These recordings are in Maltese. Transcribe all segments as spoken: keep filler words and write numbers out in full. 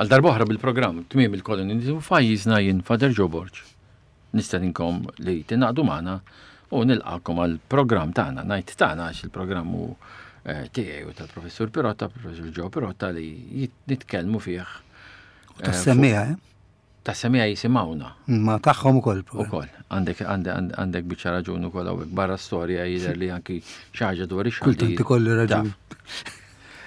Għal darb'oħra bil-programm Tmiem il-Kolonjaliżmu f'pajjiżna, jien Father Joe Borg. Nistedinkom li tingħaqdu magħna u nilqakom għal programm tagħna, ngħid tagħna għax il-programm hu eh, tiegħi u tal-Professur Pirotta, Professur Joe Pirotta, li nitkellmu fih. Eh, tas-semmiegħa, eh? Tas-semmiegħa jisimgħuna. Ma tagħhom ukoll. Ukoll. Għandek għandek biċċa raġun ukoll hawnhekk, barra storja jidher li anki xi ħaġa dwar ix Kultant ikolli raġun.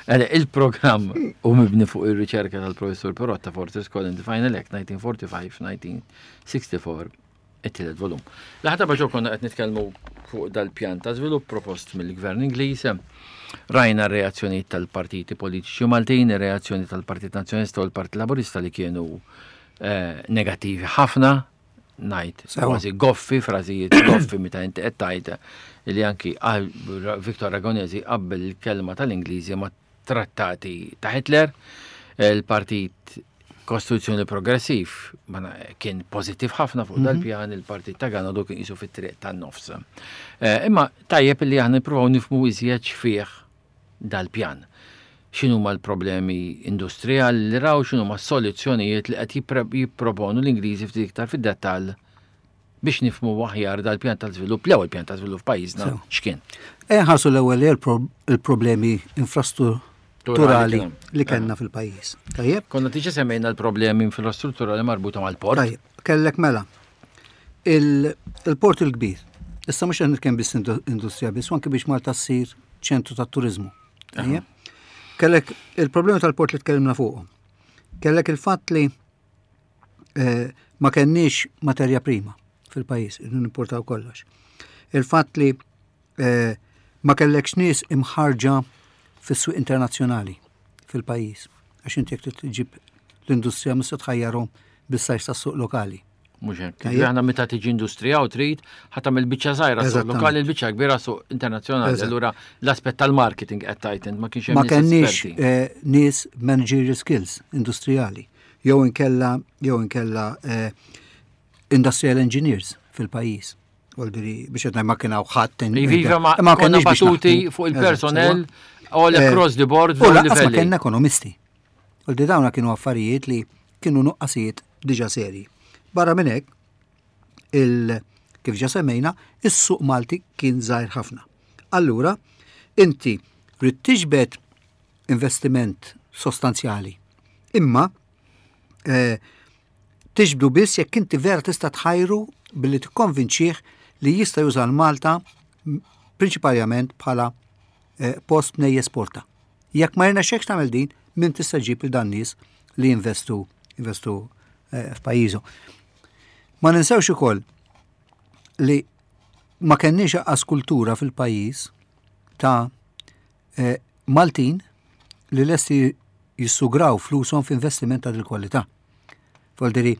Il-programm hu mibni fuq ir-riċerka tal-Professur Pirotta, Forces Colony Final Act elf disa' mija u erbgħa u erbgħin-elf disa' mija u sitta u erbgħin, it-tielet volum. L-aħħar darba konna qed nitkellmu fuq dal-pjan ta' żvilupp propost mill-Gvern Ingliż. Rajna r-reazzjonijiet tal-partiti politiċi Maltin, ir-reazzjoni tal-Partit Nazzjonalista u l-Partit Laburista li kienu eh, negattivi ħafna, ngħid kważi goffi, frażijiet goffi meta inti qed tgħid li anki Victor Ragonesi qabbel il-kelma tal-Ingliżi ma' trattati ta' Hitler. Il-Partit Kostituzzjoni Progressiv kien pozittiv ħafna fuq mhm. dal-pjan, il-Partit ta' Ganado kien qisu fit-triq tan-nofs. Eh, imma tajjeb li aħna nippruvaw nifhmu iżjed fih dal-pjan. X'inhuma l-problemi industrijali li raw, x'inhuma s-soluzzjonijiet li qed jipproponu l-Ingliżi, ftit iktar fid-dettall biex nifhmu aħjar dal-pjan tal-żvilupp, l-ewwel pjan tal-żvilupp f'pajjiżna x'kien. Ħarsu l-ewwel il-problemi infrastrutturali li kellna fil-pajjiż. Tajjeb? Konna diġà semmejna l-problemi infrastrutturali marbuta mal-port. Tajjeb, kellek mela. Il-port il-kbir. Issa mhux qed nitkellem biss industrija biss, anke biex Malta ssir ċentru tat-turizmu. Tajjeb? Kellek il-problemi tal-port li tkellimna fuqhom. Kellek il-fatt li eh, ma kenniex materja prima fil-pajjiż, nimportaw kollox. Il-fatt li eh, ma kellekx nies imħarġa fis-suq internazzjonali fil-pajjiż. Għax inti jekk tġib l-industrija, mhux se tħajjarhom bis-size tas-suq lokali. Mhux hekk. Aħna meta tiġi industrija u trid ħa tagħmel biċċa żgħira suq lokali, l-biċċa kbira suq internazzjonali. Allura l-aspett tal-marketing qed tgħid ma kienx hemm. Ma kenniex eh, nies managerial skills industrijali jew inkella jew inkella eh, industrial engineers fil-pajjiż. Voldiri, biex qed ma kien hawn ħadd. Iva, ma konna batuti fuq il-personnel all eh, across the board. U lanqas ma kellna ekonomisti. Voldiri, dawna kienu affarijiet li kienu nuqqasijiet diġa seri. Barra minn hekk, il kif ġa semmejna, is-suq Malti kien żgħir ħafna. Allura, inti rrid tiġbed investiment sostanzjali. Imma eh, tiġbdu biss jekk inti vera tista' tħajru billi tikkonvinċih li jista' juża l-Malta prinċipalment bħala eh, post mnej jesporta. Jekk ma jirnexxekx tagħmel din, min tista' ġib il dan nies li jinvestu investu eh, f'pajjiżu. Ma ninsewx ukoll li ma kenniex anqas kultura fil-pajjiż ta' eh, Maltin li lesti jissugraw flushom f'investiment ta' dil-kwalità. Voldiri,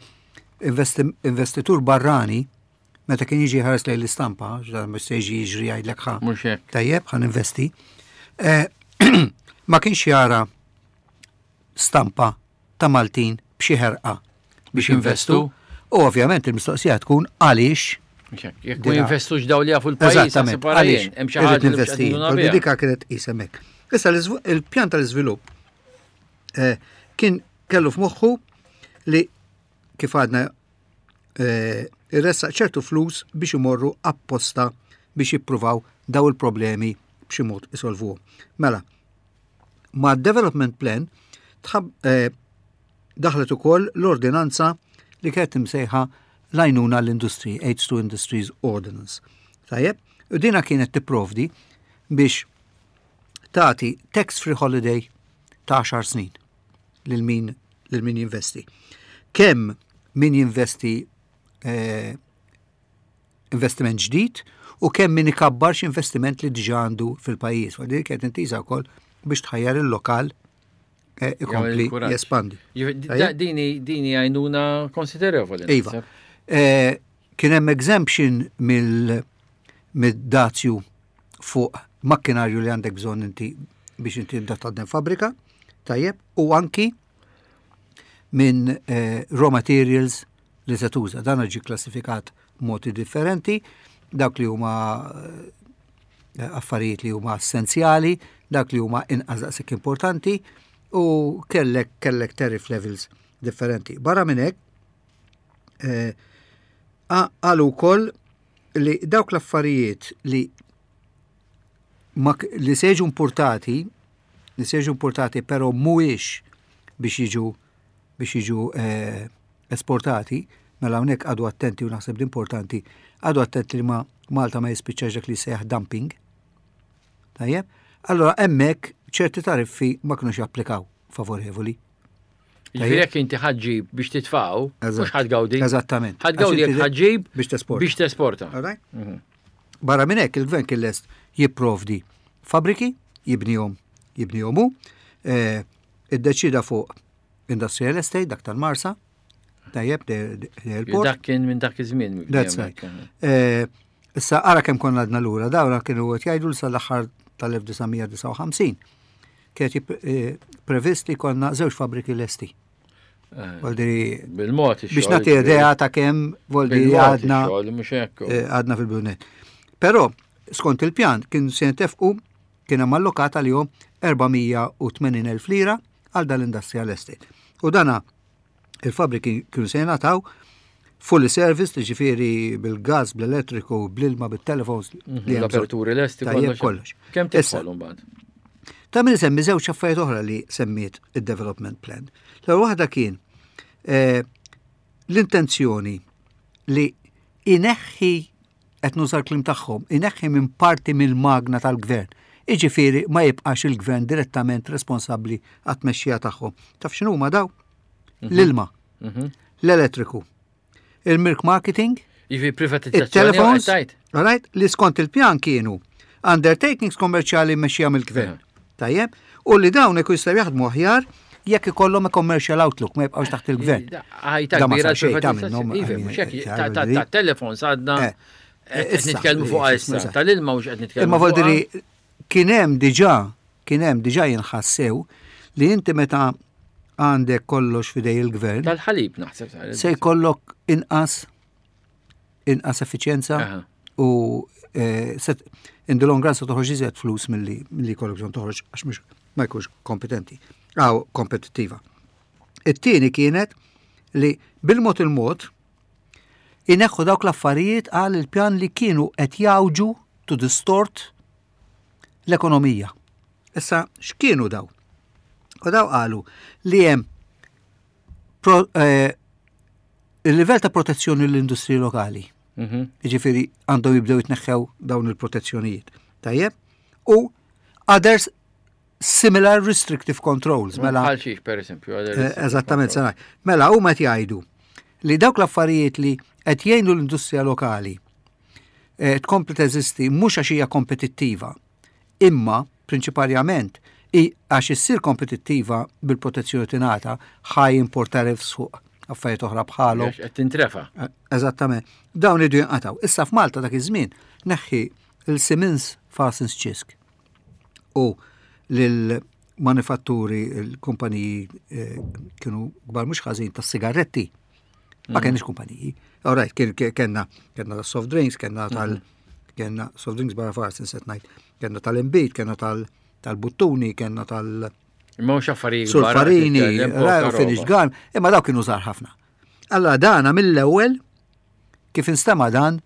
investitur barrani, meta kien jiġi ħares lejn l-istampa, ġdan mhux se jiġi jiġri jgħidlek ħa. Tajjeb, ħa ninvesti. Eh, ma kienx jara stampa ta' Maltin b'xi ħerqa biex investu. U ovvjament il-mistoqsija tkun għaliex. Jekk ma jinvestux daw li jafu l-pajjiż. Eżattament, għaliex hemm xi ħaġa investi. Dika kienet isemek. Issa il-pjan tal-iżvilupp eh, kien kellu f'moħħu li, kif għadna, eh, irressaq ċertu flus biex imorru apposta biex jippruvaw daw il-problemi b'xi mod isolvuhom. Mela, ma' development plan tħab, eh, daħlet ukoll l-ordinanza li kienet imsejħa l-għajnuna l-industry, Aids to Industries Ordinance. Tajjeb, u dina kienet tipprovdi biex tagħti tax-free holiday ta' għaxar snin lil min lil min jinvesti. Kemm min jinvesti eh, investiment ġdid u kemm min ikabbar investiment li diġà għandu fil-pajjiż. Wa din kienet intiża wkoll biex tħajjar il-lokal eh, ikompli jespandi. Dini dini għajnuna konsiderevoli. Iva. Eh, kien hemm exemption mill-dazju fuq makkinarju li għandek bżonn inti biex inti tibda taħdem fabrika, tajjeb, u anki minn eh, raw materials li se tuża. Dan ġi klassifikat modi differenti, dak li huma eh, affarijiet li huma essenzjali, dak li huma inqas daqshekk importanti, U kellek kellek tariff levels differenti. Barra minn hekk, eh, qalu wkoll li dawk l-affarijiet li ma, li se jiġu importati, li se jiġu importati però mhuwiex biex jiġu biex jiġu eh, esportati, mela hawnhekk għadu attenti u naħseb l-importanti, għadu attenti li ma Malta ma jispiċċax dak li sejjaħ dumping. Tajjeb? Allora hemmhekk ċerti tariffi ma kinux japplikaw favorevoli. Jiġifieri jekk inti ħa ġġib biex titfaw, mhux ħa tgawdi. Eżattament. Ħa tgawdi jekk ħa ġġib biex tesporta. Biex tesporta. Mhm. Barra minn hekk il-gvern kien lest jipprovdi fabriki, jibnihom, jibnihom hu, eh, iddeċida fuq industrial estate, dak tal-Marsa, tajjeb, l-port. Dak kien minn dak iż-żmien. That's right. Eh, issa ara kemm konna għadna lura, dawra kienu qed jgħidu sal-aħħar tal-elf disa' mija disgħa u ħamsin. Kienet eh, previst li konna żewġ fabriki lesti. Eh, bil-mod. Biex nagħti idea ta' kemm voldi għadna għadna fil-bunet. Però skont il-pjan kien se jintefqu, kien hemm allokata li erba' mija u tmenin elf lira għal dal-industrial estate. U dana il-fabriki kienu se jingħataw fully service, ġifieri bil-gas, bl-elettriku, bl-ilma, bil-telefons. Mhm, l-aperturi lesti. Kollox. Kemm tidħol mbagħad? Ta' min semmi żewġ affarijiet oħra li semmiet il-development plan. L-ewwel waħda kien eh, l-intenzjoni li ineħħi, qed nuża l-kliem tagħhom, ineħħi minn parti mill-magna tal-gvern. Iġifieri ma jibqax il-gvern direttament responsabbli għat-tmexxija tagħhom. Taf x'inhuma daw? Mhm. L-ilma, mhm. l-elettriku, il-milk marketing, Jiġifieri privatizzazzjoni. Right, li skont il-pjan kienu undertakings kommerċjali mmexxija mill-gvern. Tajjeb, u li dawn ikun jistgħu jaħdmu aħjar jekk ikollhom commercial outlook, ma jibqgħux taħt il-gvern. Għajta kbira. Ta' telefon sadna eh, qed nitkellmu fuq issa, tal-ilma mhux qed nitkellmu. Imma voldiri kien hemm diġà kien hemm diġà jinħassew li inti meta għandek kollox fidej il-gvern. Tal-ħalib naħseb. Se jkollok inqas inqas effiċjenza u eh, in the long run se toħroġ iżjed flus milli milli jkollok bżonn toħroġ għax mhux ma jkunx kompetenti, għaw kompetittiva. It-tieni kienet li bil-mod il-mod ineħħu dawk l-affarijiet għal il-pjan li kienu qed jawġu, to distort l-ekonomija. Issa, x'kienu daw? U daw qalu li hemm eh, il-livell ta' protezzjoni l-industri lokali. Mhm. Jiġifieri għandhom jibdew jitneħħew dawn il-protezzjonijiet. Tajjeb? U others similar restrictive controls. Mela, bħal xiex, per esempio? Eh, eżattament, sena. Mela, huma qed jgħidu li dawk l-affarijiet li qed jgħinu l-industrija lokali eh, tkompli teżisti mhux għax hija kompetittiva, imma prinċipalment għax issir kompetittiva bil-protezzjoni tingħata high import tariffs fuq affarijiet oħra bħalhom. Qed tintrefa. Eh, eżattament. Dawn idu jinqataw. Issa f'Malta dak iż-żmien neħħi il-Siemens Farsons Cisk u lil manifatturi, il-kumpaniji eh, kienu kbar mhux ħażin tas-sigaretti. Ma mm. kenniex kumpaniji. All right, kellna kellna soft drinks, kellna tal mm. kellna soft drinks barra Farsons qed ngħid, kellna tal-imbit, kellna tal-buttuni, kellna tal- Imma mhux affarijiet. Sulfarini, finished gun, imma daw kienu żgħar ħafna. Allora dana mill-ewwel kif instema dan,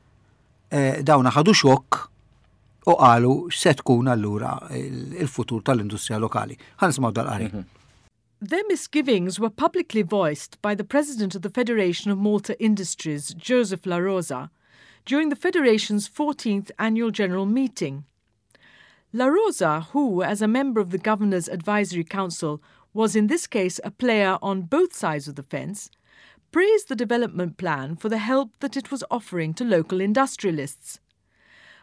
eh, dawna ħadu xokk u qalu x'se tkun allura il-futur tal-industrija lokali. Ħa nisimgħu dal-qari. Mhm. Their misgivings were publicly voiced by the president of the Federation of Malta Industries, Joseph La Rosa, during the Federation's fourteenth annual general meeting. La Rosa, who, as a member of the Governor's Advisory Council, was in this case a player on both sides of the fence, praised the development plan for the help that it was offering to local industrialists.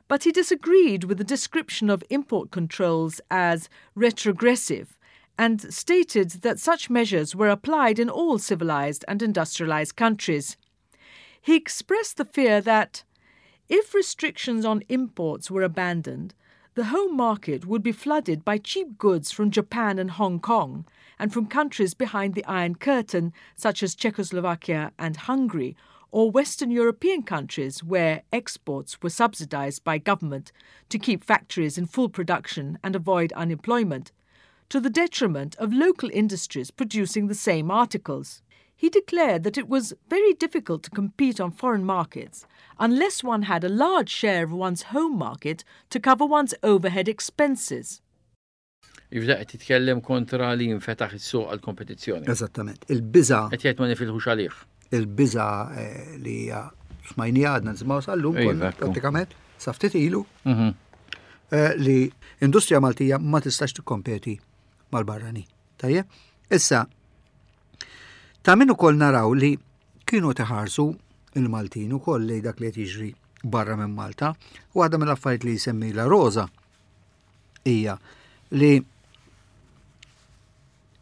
But he disagreed with the description of import controls as retrogressive and stated that such measures were applied in all civilized and industrialized countries. He expressed the fear that if restrictions on imports were abandoned, the home market would be flooded by cheap goods from Japan and Hong Kong and from countries behind the Iron Curtain, such as Czechoslovakia and Hungary, or Western European countries where exports were subsidized by government to keep factories in full production and avoid unemployment, to the detriment of local industries producing the same articles. He declared that it was very difficult to compete on foreign markets unless one had a large share of one's home market to cover one's overhead expenses. Jibda qed jitkellem kontra li jinfetaħ is-suq għal kompetizzjoni. Eżattament. Il-biża Qed jgħid ma nifilħux għalih. Il-biża eh, li hija smajni għadna nisimgħu sal-lum Iva, konna ekku. prattikament sa ftit ilu Mhm. eh, li industrija Maltija ma tistax tikkompeti mal-barrani. Tajjeb? Issa, ta' min ukoll naraw li kienu teħarsu il-Maltin ukoll li dak li qed jiġri barra minn Malta. U waħda mill-affarijiet li jsemmi La Rosa hija li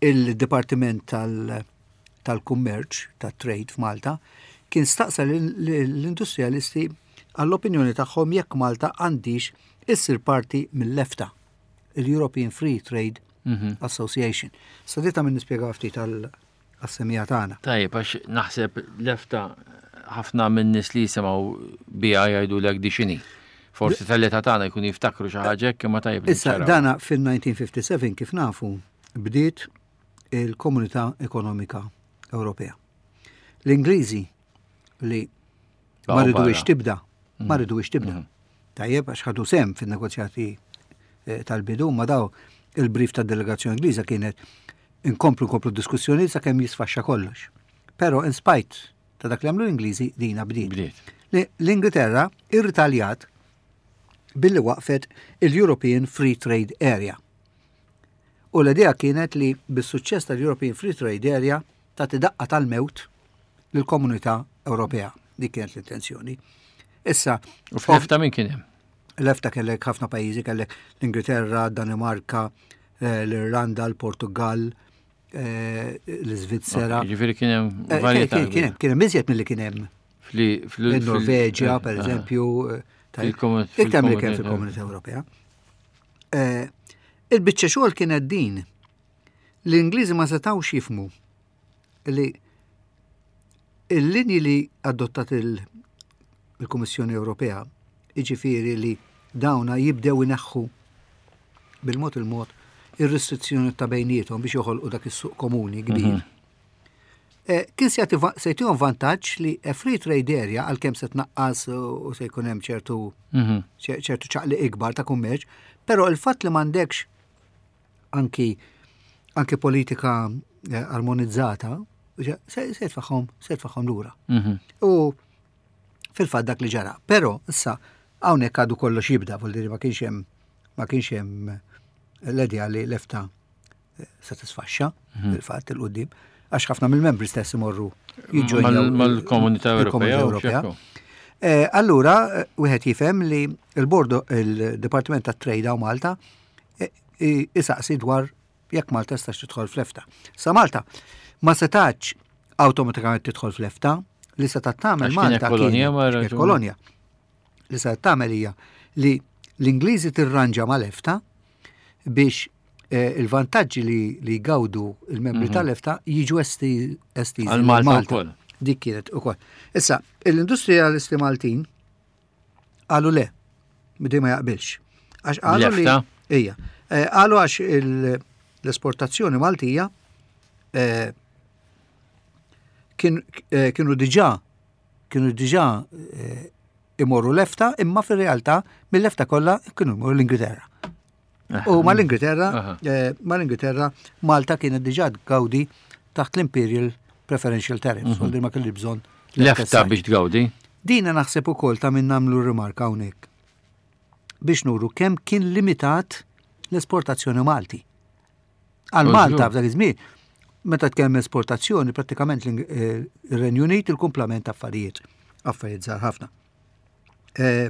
il-Dipartiment tal- tal-Kummerċ, tat-Trade f'Malta, kien staqsa l-industrialisti għall-opinjoni tagħhom jekk Malta għandix issir parti mill-EFTA, il-European Free Trade Mhm. Association. Sa dita minn nispjega ftit għas-semmiegħa tagħna. Tajjeb, għax naħseb l-EFTA ħafna minn nies li jisimgħu biha jgħidu l di x'inhi. Forsi tal-età tagħna jkun jiftakru xi ħaġa hekk imma tajjeb li Issa, niċċaraw. dana fil-elf disa' mija u ħamsa u sebgħin kif nafu bdiet il-Komunità Ekonomika Ewropea. L-Ingliżi li ma Baqgħu ridux barra. tibda, ma ridux tibda. Tajjeb, għax ħadu sehem fin-negozjati eh, tal-bidu, ma daw il-brief tad delegazzjoni Ingliża kienet inkomplu nkomplu diskussjoni sakemm jisfaxxa kollox. Però in spite ta' dak li għamlu l-Ingliżi dina bdiet. Bdiet. Li- L-Ingilterra irritaljat billi waqfet il-European Free Trade Area. U l-idea kienet li bis-suċċess tal-European Free Trade Area tagħti daqqa tal-mewt lill-Komunità Ewropea. Dik kienet l-intenzjoni. Issa, U fl-EFTA min kien hemm? l-EFTA kellek ħafna pajjiżi, kellek l-Ingilterra, Danimarka, eh, l-Irlanda, l-Portugal, eh, l-Svizzera. Ġifieri kien hemm Eh, varjetà. Kien kien hemm, kien hemm iżjed milli kien hemm Fli- fl- il-Norveġja, fil- per eh, eżempju, eh, tajjeb. Fil-komun- Iktar milli kien fil-komunità. fil-Komunità Ewropea. Eh, Il-biċċa xogħol kienet din. L-Ingliżi ma setgħux jifhmu li il-linji li adottat il- il-Kummissjoni Ewropea, iġifieri li dawna jibdew ineħħu bil-mod il-mod ir-restrizzjoni ta' bejniethom biex joħolqu dak is-suq komuni kbir. Eh, Kien se jagħti va- se jtihom vantaġġ li a free trade area għalkemm se tnaqqas u se jkun hemm ċertu Mhm. ċe- ċertu ċaqli ikbar ta' kummerċ, però il-fatt li m'għandekx anki anki politika eh, armonizzata, se se jitfaħħom se jitfaħħom lura. Mhm. U fil-fatt dak li ġara. Però issa hawnhekk għadu kollox jibda, vuol dire ma kienx hemm ma kienx hemm l-idea li l-EFTA eh, se tisfaxxa fil-fatt il-qudiem għax ħafna mill-membri stess imorru jiġġojnjaw Mal- Mal-Komunità il-Komunità Ewropea. u Ewropea. x'hekk. Eh, Allura, eh, wieħed jifhem li il-bordo il-Dipartiment tat Trade hawn Malta eh, i- isaqsi dwar jekk Malta tistax tidħol fl-EFTA. Sa Malta ma setax awtomatikament tidħol fl-EFTA, li seta tagħmel Għax kienet Malta kolonja, kienet- ma kienet raġun. kolonja. Li seta tagħmel hija li l-Ingliżi tirranġa mal-EFTA biex eh, il-vantaġġi li, li jgawdu il-membri tal-EFTA jiġu esti- estiżi Mhm. Għal Malta wkoll. Dik kienet ukoll. Issa, l-industrialisti Maltin qalu le, bidej ma jaqbilx. Għax qalu li. L-EFTA? Ija. Eh, Qalu għax il- l-esportazzjoni Maltija eh, kien- eh, kienu diġà kienu diġà eh, imorru l-EFTA, imma fil-realtà mill-EFTA kollha kienu imorru l-Ingilterra. U mal-Ingilterra, Aha. eh, mal-Ingilterra, Malta kienet diġà tgawdi taħt l-Imperial Preferential Tariffs, mm ma kelli bżonn L-EFTA biex tgawdi. Dina naħseb ukoll ta' min nagħmlu rimarka hawnhekk. Biex nuru kemm kien limitat l-esportazzjoni Malti. Għal U Malta żgur. f'dak iż-żmien, meta tkellem esportazzjoni, prattikament l- eh, ir-Renju Unit il-kumplament affarijiet, affarijiet żgħar ħafna. Eh,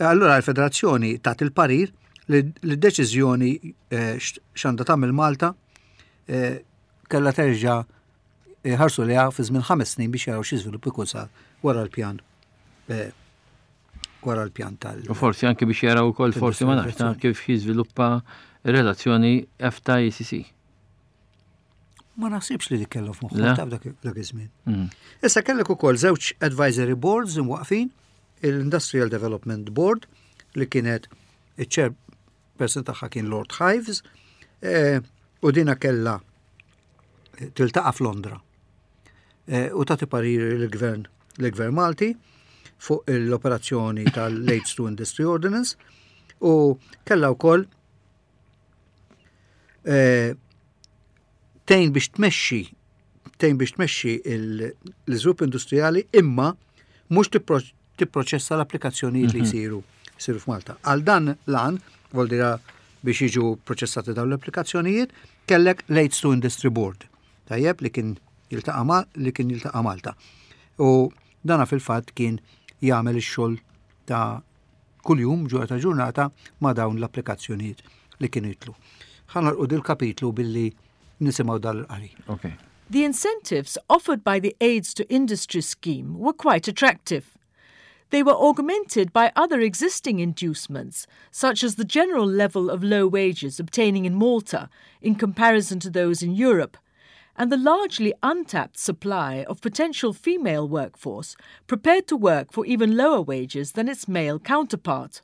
Allura l-Federazzjoni tat il-parir li l-deċiżjoni eh, x- x'għandha tagħmel Malta eh, kellha terġa' ħarsu liha fi żmien ħames snin biex jaraw xi żvilupp ikun sar wara l-pjan eh, wara l-pjan tal. U forsi anke biex jaraw ukoll forsi ma nafx ta' kif jiżviluppa relazzjoni EFTA E C C. Ma naħsibx li dik kellhom Le? f'moħħhom ta' f'dak dak iż-żmien. Mm. Issa kellek ukoll żewġ advisory boards imwaqfin, il-Industrial Development Board li kienet iċ-chairperson tagħha kien Lord Hives, Eh, u dina kella tiltaqa' f'Londra eh, u tagħti pariri l-gvern l-gvern Malti fuq l-operazzjoni tal-Aids to Industry Ordinance u kella wkoll eh, tgħin biex tmexxi tgħin biex tmexxi l-iżvilupp industrijali, imma mhux tipproċessa l-applikazzjonijiet li mhm. jsiru jsiru f'Malta. Għal dan l-għan, voldira biex jiġu proċessati dawn l-applikazzjonijiet, kellek l-Aids to Industry Board. Tajjeb, li kien jiltaqa' li kien jiltaqa' Malta. U dana fil-fatt kien jagħmel ix-xogħol ta' kuljum, ġurnata ġurnata, ma' dawn l-applikazzjonijiet li kienu jitlu. Ħa nagħlqu dil-kapitlu billi nisimgħu dal-qari. Okay. The incentives offered by the Aids to Industry scheme were quite attractive. They were augmented by other existing inducements, such as the general level of low wages obtaining in Malta in comparison to those in Europe, and the largely untapped supply of potential female workforce prepared to work for even lower wages than its male counterpart.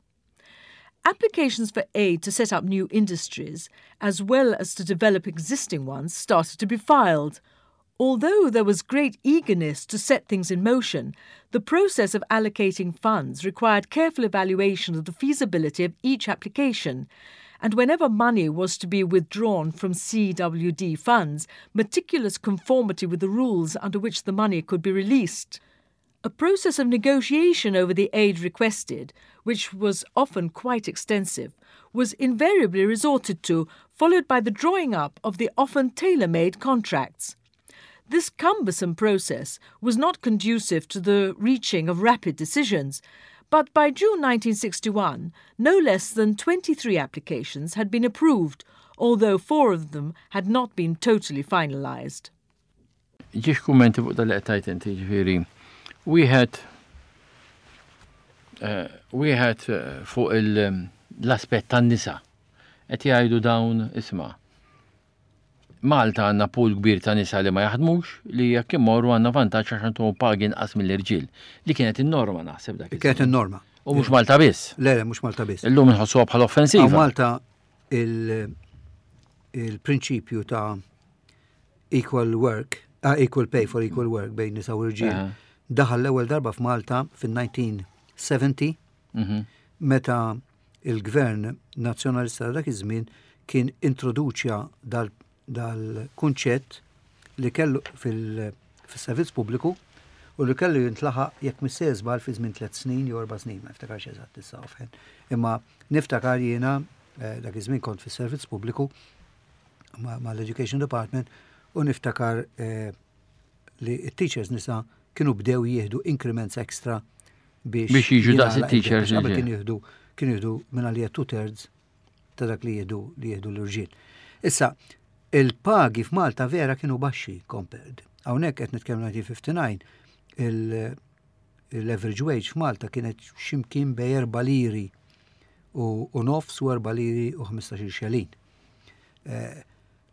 Applications for aid to set up new industries, as well as to develop existing ones, started to be filed. Although there was great eagerness to set things in motion, the process of allocating funds required careful evaluation of the feasibility of each application, and whenever money was to be withdrawn from C W D funds, meticulous conformity with the rules under which the money could be released. A process of negotiation over the aid requested, which was often quite extensive, was invariably resorted to, followed by the drawing up of the often tailor made contracts. This cumbersome process was not conducive to the reaching of rapid decisions, but by June nineteen sixty-one, no less than twenty-three applications had been approved, although four of them had not been totally finalised. Żewġ kummenti fuq dal qed inti, ġifieri. Wieħed eh, wieħed eh, fuq l-aspett tan-nisa. Qed jgħidu dawn, isma', Malta għandna pool kbir ta' nisa li ma jaħdmux, li jekk immorru għandna vantaġġ għax għandhom pagi inqas mill-irġiel. Li kienet in-norma, naħseb, dak. Kienet in-norma. U mhux Malta biss. Le, le, mhux Malta biss. Illum nħossuha bħala offensiva. Malta il-prinċipju ta' equal work, uh, equal pay for equal work bejn nisa u irġiel, daħal l-ewwel darba f'Malta fin-elf disa' mija u sebgħin mhm. meta il-gvern nazzjonalista dak iż-żmien kien introduċja dal dal-kunċett li kellu fil-servizz pubbliku u li kellu jintlaħaq, jekk mhux żball, fi żmien tliet snin jew erba' snin, ma niftakarx eżatt issa offhand. Imma niftakar jiena eh, dak iż-żmien kont fis-servizz pubbliku mal-Education Department u niftakar eh, li t-teachers nisa kienu bdew jieħdu increments extra biex biex jiġu daqs it-teachers. Qabel kienu jieħdu kienu jieħdu minn għalija two thirds ta' dak li jieħdu li jieħdu l-irġiel. Issa, il-pagi f'Malta vera kienu baxxi compared. Hawnhekk qed nitkellmu elf disa' mija u ħamsa u disgħin, l-average wage f'Malta kienet ximkien bejn erba' liri u nofs u erba' liri u ħmistax-il xelin. Eh,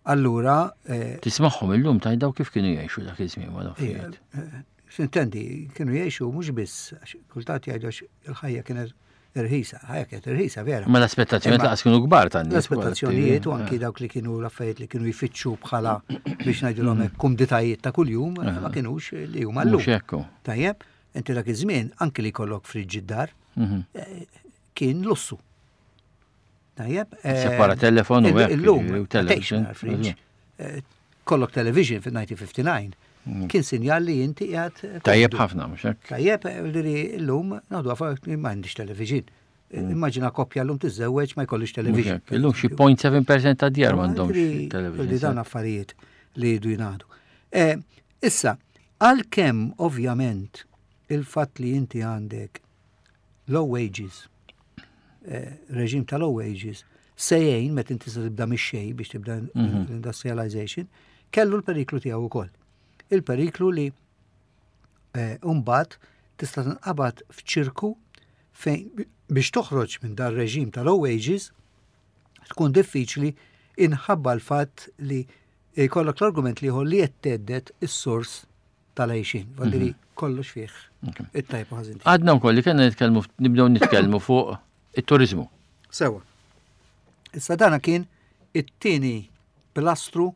allura. Eh, Tismagħhom illum tgħid kif kienu jgħixu dak iż-żmien ma eh, Sintendi, kienu jgħixu mhux biss, kultant jgħidu il-ħajja kienet irħisa, ħajja kienet irħisa vera. Ma l-aspettazzjonijiet laqas kienu kbar tan L-aspettazzjonijiet u anki dawk li kienu l-affarijiet li kienu jfittxu bħala, biex ngħidulhom, kumditajiet ta' kuljum ma kienux li huma llum. Tajjeb, inti dak iż-żmien anki li jkollok fridge id-dar mhm. eh, kien lussu. Tajjeb. Eh, Separa telefon u Illum, television. Eh, kollok television fil-elf disa' mija u ħamsa u disgħin mm. kien sinjal li inti qiegħed. Tajjeb ħafna, mhux hekk? Tajjeb, li llum ngħidu ma għandix television. Mm. Immaġina koppja llum tiżżewweġ ma jkollix television. Illum xi zero punt seba' fil-mija ta' djar m'għandhomx television. Li dawn affarijiet li jridu jingħadu. Eh, issa, għalkemm ovvjament il-fatt li inti għandek low wages, eh, reġim ta' low wages, sejjejn meta inti se tibda mix-xejn biex tibda mhm. l-industrialization, kellu l-periklu tiegħu ukoll. Il-periklu li eh, mbagħad tista' tinqabad f'ċirku fejn biex toħroġ minn dar reġim ta' low wages tkun diffiċli inħabba l-fatt li jkollok l-argument li li qed is-sors tal-għajxin. Voldiri mhm. kollox fih it-tajb ħażin. Għadna wkoll li kellna nitkellmu, nibdew nitkellmu fuq it-turizmu. Sewa. Issa dana kien It-tieni pilastru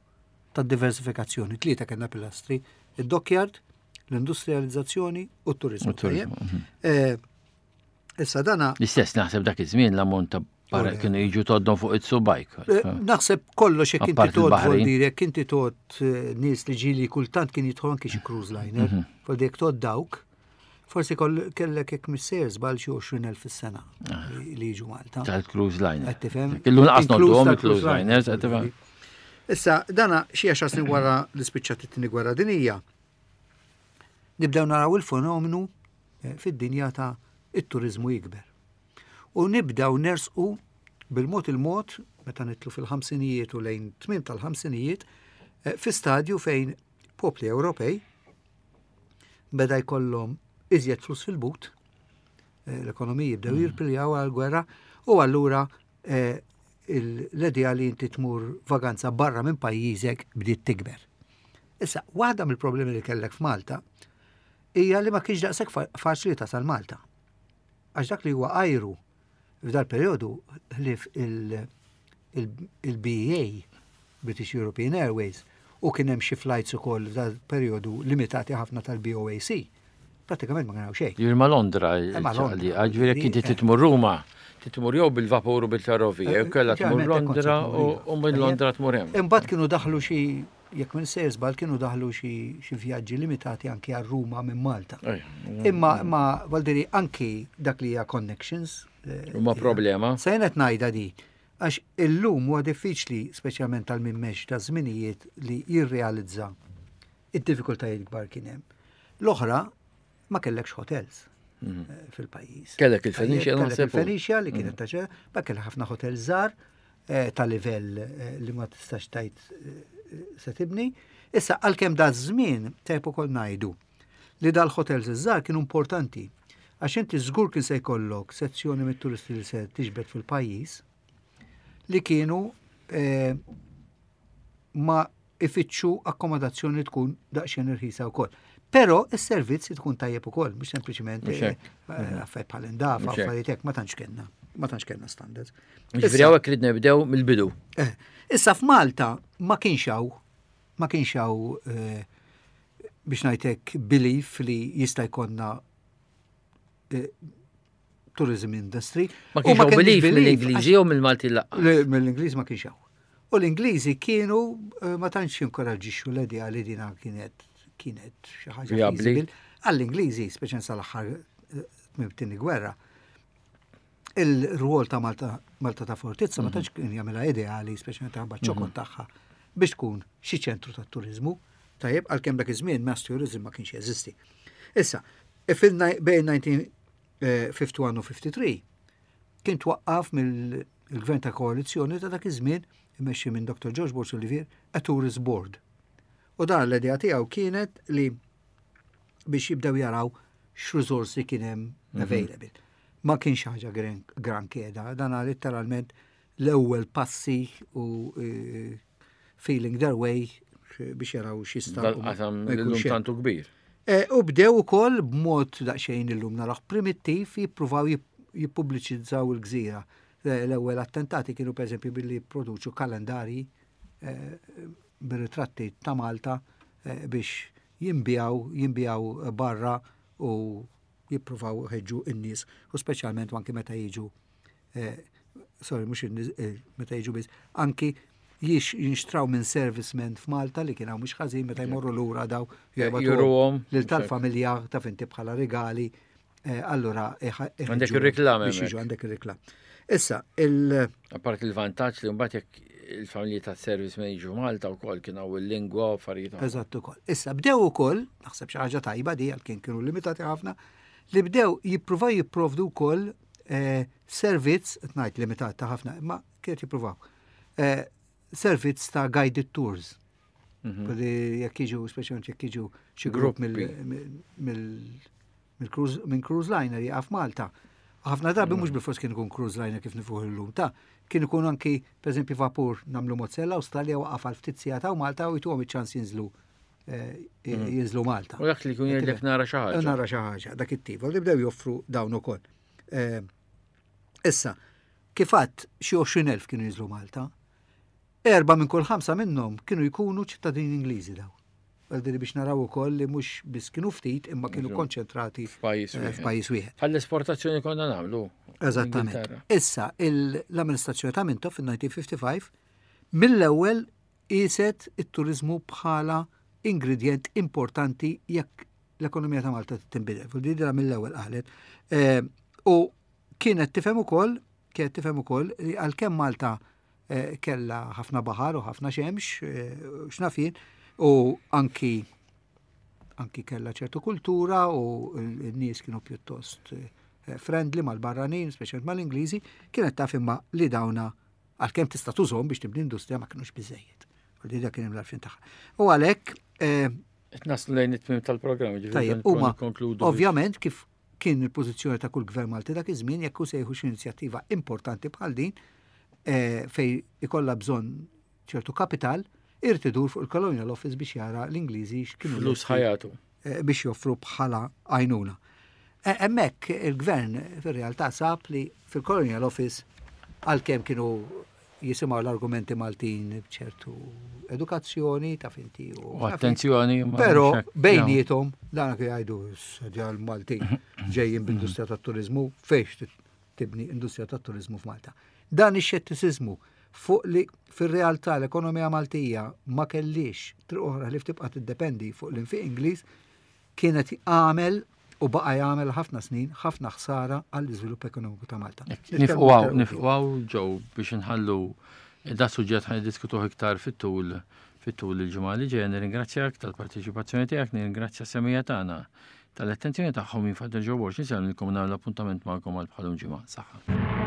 tad-diversifikazzjoni. Tlieta kellna pilastri: id-dockyard, l-industrializzazzjoni u t-turizmu. Mhm. Eh, issa dana. L-istess naħseb dak iż-żmien l-ammont ta' barra kienu jiġu toddhom fuq it-subajk. Eh, naħseb kollox jekk inti tgħodd, vuol jekk inti tgħodd eh, nies li ġieli kultant kien jidħol anki xi cruise liner, mhm. vuol jekk tgħodd dawk, forsi kellek, jekk missejjer żball, xi għoxrin elf fis-sena ah. li jiġu Malta. Tal-cruise liner. Tifhem? Illum lanqas ngħodduhom il-cruise liners, tifhem? Issa, dana xi għaxar snin wara li spiċċat it-Tieni Gwerra Dinija, nibdew naraw il-fenomenu eh, fid-dinja ta' it-turizmu jikber. U nibdew nersqu bil-mod il-mod, meta nidħlu fil-ħamsinijiet u lejn tmiem tal-ħamsinijiet, eh, fi stadju fejn popli Ewropej beda jkollhom iżjed flus fil-but, eh, l-ekonomiji bdew mm. jirpiljaw għal-gwerra u allura eh, l-idea li inti tmur vaganza barra minn pajjiżek bdiet tikber. Issa, waħda mill-problemi li kellek f'Malta hija li ma kienx daqshekk faċli tasal Malta. Għax dak li huwa ajru f'dal periodu, ħlief il-B E A, British European Airways, u kien hemm xi flights ukoll f'dal periodu limitati ħafna tal-B O A C. Pratikament ma kien xejn. Ġifieri ma' Londra, ġifieri jekk inti tmur Ruma, tmur jew bil-vapur u bil-ferrovija, jew kellha tmur Londra u minn Londra tmur hemm. Imbagħad kienu daħlu xi, jekk minn sejjer żball, kienu daħlu xi vjaġġi limitati anki għal Ruma minn Malta. Imma imma vuol anki dak li hija connections. Eh, Huma problema. Se qed ngħidha di għax illum huwa diffiċli, speċjalment tal min m'għexx ta' żminijiet, li jirrealizza id-diffikultajiet kbar kien hemm. L-oħra, ma kellekx hotels mhm. eh, fil-pajjiż. Kellek il-Phoenicia. Kellek il-Phoenicia li kienet mhm. ta' ma kellek ħafna hotels żgħar eh, ta' livell li ma tistax tgħid se tibni. Issa, għalkemm da żmien tajb ukoll ngħidu li dal-hotels iż-żgħar kienu importanti għax inti żgur kien se jkollok sezzjoni mit-turisti li se tiġbed fil-pajjiż li kienu eh, ma ifittxu akkomodazzjoni tkun daqsxejn irħisa wkoll. Però is-servizz tkun tajjeb ukoll, mhux sempliċiment eh, eh, affarijiet bħal indafa, affarijiet hekk, ma tantx kellna, ma tantx kellna standards. Ġifieri hawnhekk rid nibdew mill-bidu. Issa f'Malta ma kienx hawn ma kienx hawn, biex ngħidlek, belief li jista' jkollna tourism industry. Ma kienx hawn belief mill-Ingliżi jew mill-Malti lanqas? Mill-Ingliżi ma kienx hawn. U l-Ingliżi kienu eh, ma tantx jinkoraġġixxu l-idea li dina kienet kienet xi ħaġa feasible. Għall-Ingliżi, speċjalment sal-aħħar eh, tmiem gwerra, il-rwol ta' Malta, Malta ta' Fortizza ma mhm. tantx kien jagħmilha ideali, speċjalment ta' ċokon mhm. tagħha, biex tkun xi ċentru ta' turizmu. Tajjeb, għalkemm dak iż-żmien mass tourism ma kienx jeżisti. Issa, bejn elf disa' mija u ħamsa u ħamsin u ħamsa u ħamsin kien twaqqaf mill-gvern ta' koalizzjoni ta' dak iż-żmien immexxi minn Doktor George Borg Olivier a Tourist Board. U dan l-idea tiegħu kienet li biex jibdew jaraw x'riżorsi kien hemm mhm. available. Ma kienx ħaġa gran keda, dan letteralment l-ewwel passi u e, feeling their way biex jaraw x'jista'. Dal-qasam tantu kbir. E, u bdew ukoll b'mod daqsxejn illum naraħ primittiv jippruvaw jippubbliċizzaw il-gżira. L-ewwel attentati kienu, pereżempju, billi jipproduċu kalendari e, bir-ritratti ta' Malta e, biex jinbiegħu jinbiegħu barra u jippruvaw ħeġġu n-nies u speċjalment anki meta jiġu, sorry, mhux meta jiġu biss, anki jiex jinxtraw minn servicemen f'Malta li kien hawn mhux ħażin, meta jmorru lura daw juruhom lil tal-familja ta' finti bħala regali. Eh, allura għandek ir-reklam. Biex jiġu għandek ir-reklam. Issa il Apart il-vantaġġ li mbagħad jekk il-familji ta' servicemen jiġu Malta wkoll kien hawn il-lingwa u affarijiet. Eżatt ukoll. Issa bdew ukoll, naħseb xi ħaġa tajba di għal kien kienu limitati ħafna, li bdew jippruvaw jipprovdu wkoll eh, servizz, ngħid limitat ta' ħafna, imma kienet jippruvaw eh, servizz ta' guided tours. Mm -hmm. Jekk jiġu, speċjalment jekk jiġu xi grupp minn cruise liner jaqaf Malta. Ħafna drabi mhux mm. bil-fors kien ikun cruise liner kif nafuh illum ta' kien ikun anki, pereżempju, vapur nagħmlu Mozzella Australia waqaf għal ftit sigħat u Malta u jtuhom iċ-ċans jinżlu eh, mm. jinżlu Malta. U dak li jkun jgħidlek nara xi ħaġa. Nara xi ħaġa, dak it-tip. U bdew joffru dawn ukoll. Eh, issa, kif għedt, xi għoxrin elf kienu jinżlu Malta. Erba' minn kull ħamsa minnhom kienu jkunu ċittadini Ingliżi daw. Għaldiri biex naraw ukoll li mhux biss kienu ftit imma kienu konċentrati f'pajjiż eh, f'pajjiż wieħed. Bħall-esportazzjoni konna nagħmlu. Eżattament. Issa l-amministrazzjoni ta' Mintoff fil-elf disa' mija u ħamsa u ħamsin mill-ewwel qiset it-turizmu bħala ingredient importanti jekk l-ekonomija ta' Malta tinbidel. Fil mill-ewwel qalet. Eh, u kienet tifhem ukoll, kienet tifhem ukoll li għalkemm Malta eh, kella ħafna baħar u ħafna xemx, eh, x'naf jien, u anki anki kella ċertu kultura u n-nies kienu pjuttost friendly mal-barranin, speċjalment mal-Ingliżi, kienet taf imma li dawna għalkemm tista' tużhom biex tibni industrija, ma kienux biżejjed. U li dak kien l-għarfien tagħha. U għalhekk Naslu lejn it-tmim tal-programm, Tajjeb, huma ovvjament, kif kien il-pożizzjoni ta' kull gvern Malti dak iż-żmien, jekk hu se jieħu xi inizjattiva importanti bħal din eh, fej ikollha bżonn ċertu kapital, irid idur fuq il-Colonial Office biex jara l-Ingliżi x'kienu flus ħa jagħtu. Eh, biex joffru bħala għajnuna. Eh, hemmhekk il-gvern fir-realtà sab li fil-Colonial Office, għalkemm kienu jisimgħu l-argumenti Maltin bċertu edukazzjoni ta' finti u attenzjoni. Però bejniethom dan jgħidu, "L-Maltin ġejjin b'industrija tat-turizmu, fejx tibni industrija tat-turizmu f'Malta?" Dan ix-xettiċiżmu fuq li fir-realtà l-ekonomija Maltija ma kellix triq oħra li tibqa' tiddependi fuq l-infiq Ingliż kienet għamel u baqa jagħmel ħafna snin ħafna ħsara għall-iżvilupp ekonomiku ta' Malta. Nieqfu hawn, nieqfu hawn ġew biex nħallu da suġġett ħa niddiskutuh iktar fit-tul fit-tul il-ġimgħa li ġejja. Nirringrazzjak tal-parteċipazzjoni tiegħek, nirringrazzja semmiegħa tagħna tal-attenzjoni tagħhom. Jien Father Joe Borg, nsellmilkom, nagħmel appuntament magħkom għal bħalum ġimgħa. Saħħa.